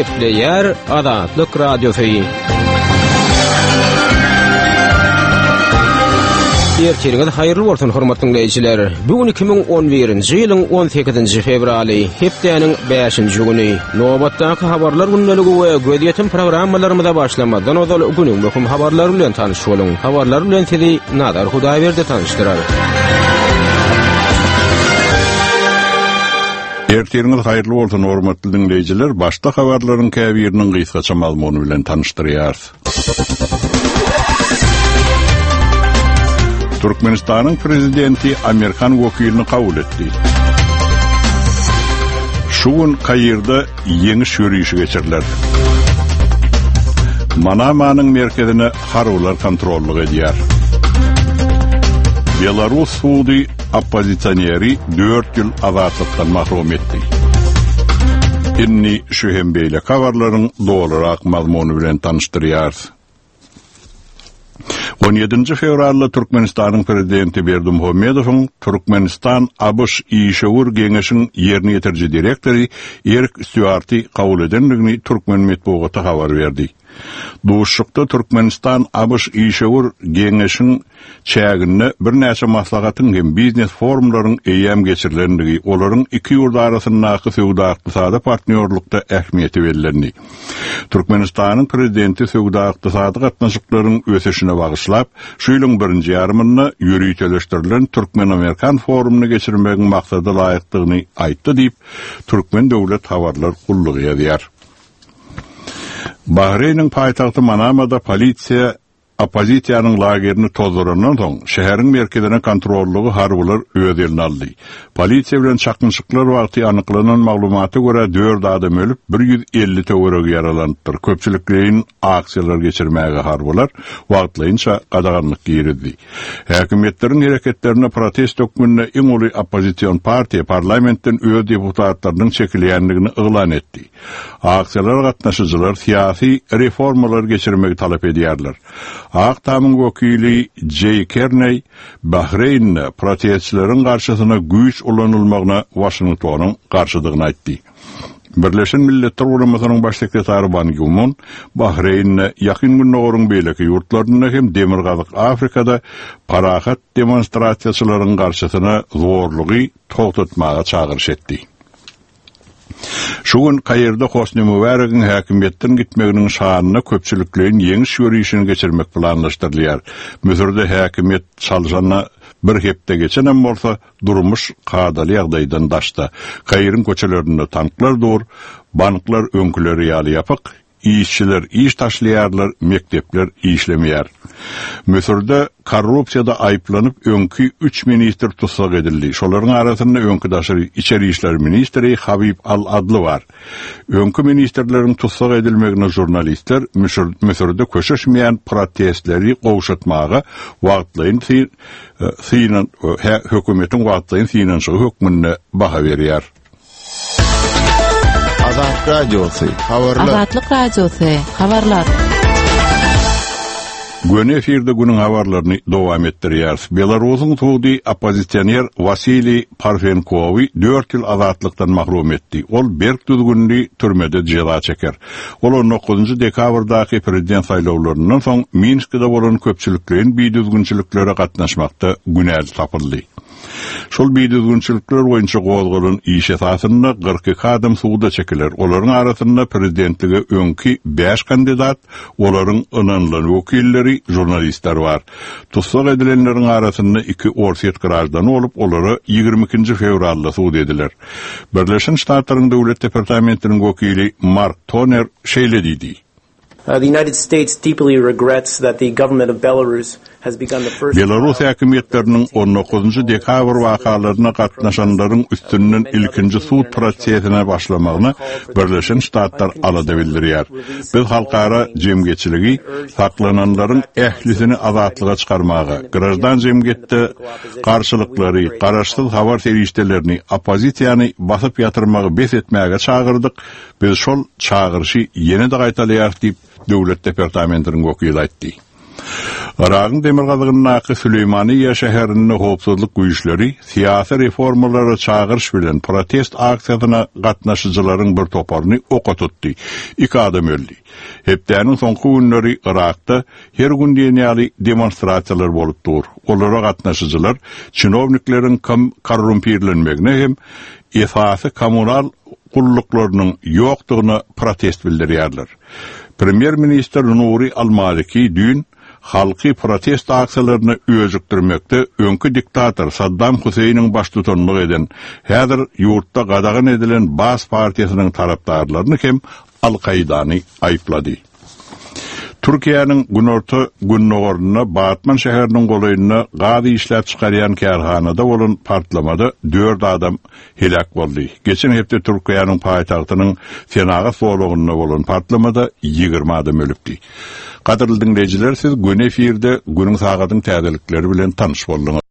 Gepleýär Azatlyk Radiosy. Ertiriňiz haýyrly bolsun, hormatly diňleýjiler. Bu gün 2011-nji ýylyň 18-nji fewraly, hepdäniň 5-nji güni. Nobatdaky habarlar gündeligi we gözýetim programmalarymyza başlamazdan ozal günüň möhüm habarlary bilen tanyş boluň. Habarlar bilen sizi Nazar Hudaýberdi tanyşdyrar. Ertiriňiz haýyrly bolsun, hormatly diňleýjiler! Başda habarlaryň käbiriniň gysgaça mazmuny bilen tanyşdyrýarys. Türkmenistanyň prezidenti amerikan wekilini kabul etdi. Şu gün Kairde ýeňiş ýörişi geçiriler. Manamanyň merkezine harbylar kontrollyk edýär. Belarus sudy oppozisioneri dört ýyl azatlykdan mahrum etdi. Indi şu hem beýleki habarlaryň dolurak mazmuny bilen tanyşdyrýarys. On ýedinji fewralda Türkmenistanyň Prezidenti Berdimuhamedowyň Türkmenistan-ABŞ işewür geňeşiň ýerine ýetiriji direktory Erik Stýuarty kabul edendigini türkmen metbugaty habar berdi. Duşuşykda Türkmenistan-ABŞ işewür geňeşiň çäginde birnäçe maslahatyň hem biznes-forumlaryň eýýäm geçirilendigi, olaryň iki ýurt arasyndaky söwda-ykdysady partnýorlykda ähmiýeti bellendi. Türkmenistanyň Prezidenti söwda-ykdysady gatnaşyklaryň ösüşine bagyşlap, şu ýylyň birinji ýarymynda ýöriteleşdirilen türkmen-amerikan forumyny geçirmegiň maksada laýykdygyny aýtdy diýip, Türkmen döwlet habarlar gullugy ýazýar. Bahreýniň paýtagty Manamada polisiýa oppozisiýanyň lagerini tozdurandan soň, şäheriň merkezine kontrollygy harbylar öz eline aldy. Polisiýa bilen çaknyşyklar wagty anyklanan maglumata görä, dört adam ölüp, 150 töweregi ýaralanypdyr. Köpçülikleýin aksiýalar geçirmäge harbylar wagtlaýynça gadaganlyk girizdi. Häkimiýetleriň hereketlerine protest hökmünde iň uly oppozision partiýa parlamentden öz deputatlarynyň çekilýändigini yglan etdi. Aksiýalara gatnaşyjylar syýasy reformalary geçirmegi talap edýärler. Ak Tamyň wekili Jeý Kerneý Bahreýnde protestçileriň garşysyna güýç ulanylmagyna Waşingtonyň garşydygyny aýtdy. Birleşen Milletler Guramasynyň Baş sekretary Ban Gi Mun Bahreýnde, Ýakyn Gündogaryň beýleki ýurtlarynda hem Demirgazyk Afrikada parahat demonstrasiýaçylaryň garşysyna zorlugy togtatmaga çagyryş etdi. Şu gün Kairde Hosni Mübäregiň häkimiýetden gitmeginiň şanyna köpçülikleýin ýeňiş ýörişini geçirmek planlaşdyrylýar. Müsürde häkimiýet çalşanyna bir hepde geçenem bolsa, durmuş kadaly ýagdaýdan daşda. Kairiň köçelerinde tanklar dur, banklar öňküleri ýaly ýapyk, Işçiler iş taşlaýarlar, mekdepler işlemeýär. Müsürde korrupsiýada aýyplanyp öňki üç ministr tussag edildi. Şolaryň arasynda öňki daşary içeri işler ministri Habib al-Adly bar. Öňki ministrleriň tussag edilmegine žurnalistler Müsürde köşeşmeýän protestleri gowşatmaga wagtlaýyn hökümetiň wagtlaýyn synanyşygy hökmünde baha berýär. Azat Radiosy, habarlar. Azatlyk Radiosy, habarlar. Göni efirde günüň habarlaryny dowam etdirýäris. Belarusyň sudy oppozisioner Wasiliý Parfenkowy dört ýyl azatlykdan mahrum etdi. Ol berk düzgünli türmede jeza çeker. Ol on dokuzynjy dekabrdaky prezident saýlawlaryndan soň Minskide bolan köpçülikleýin bidüzgünçiliklere gatnaşmakda günäli tapyldy. Şol bidüzgünçilikler boýunça gozgalan iş esasynda 42 adam suda çekiler. Olaryň arasynda prezidentlige öňki bäş kandidat, olaryň ynanylan wekilleri, žurnalistler bar. Tussag edilenleriň arasynda iki orsýet graždany bolup, olara 22-nji fewralda sud ediler. Birleşen Ştatlaryň Döwlet departamentiniň wekili Mark Toner şeýle diýdi. The United States deeply regrets that the government of Belarus has begun the first Belarus häkimiýetleriniň on dokuzynjy dekabr wakalaryna gatnaşanlaryň üstünden ilkinji sud prosesine başlamagyna Birleşen Ştatlar alada bildirýär. Biz halkara jemgyýetçiligi saklananlaryň ählisini azatlyga çykarmaga, graždan jemgyýetde garşylyklary, garaşsyz habar serişdelerini, oppozisiýany basyp ýatyrmagy bes etmäge çagyrdyk, Biz şol çagyryşy ýene-de gaýtalaýarys diýip, Döwlet departamentiniň wekili aýtdy. Yragyň demirgazygyndaky Süleýmaniýe şäherinde howpsuzlyk güýçleri syýasy reformalara çagyryş bilen protest aksiýasyna gatnaşyjylaryň bir toparyny oka tutdy. Iki adam öldi. Hepdäniň soňky günleri Yrakda her gün diýen ýaly demonstrasiýalar bolup dur. Olara gatnaşyjylar çinownikleriň korrumpirlenmegine hem esasy kommunal gulluklarynyň ýokdugyna protest bildirýärler. Premýer-ministr Nuri al-Maliki düýn halky protest aksiýalaryna öjükdirmekde öňki diktator Saddam Huseýniň baştutanlyk eden, häzir ýurtda gadagan edilen Baas partiýasynyň tarapdarlaryny hem Al-Kaidany aýyplady. Türkiýäniň günorta-gündogarynda Batman şäheriniň golaýynda gaz işläp çykarýan kärhanada bolan partlamada dört adam heläk boldy. Geçen hepde Türkiýäniň paýtagtynyň senagat zolagynda bolan partlamada 20 adam ölüpdi. Gadyrly diňleýjiler, siz göni efirde günüň sagadyň täzelikleri bilen tanyş bolduňyz.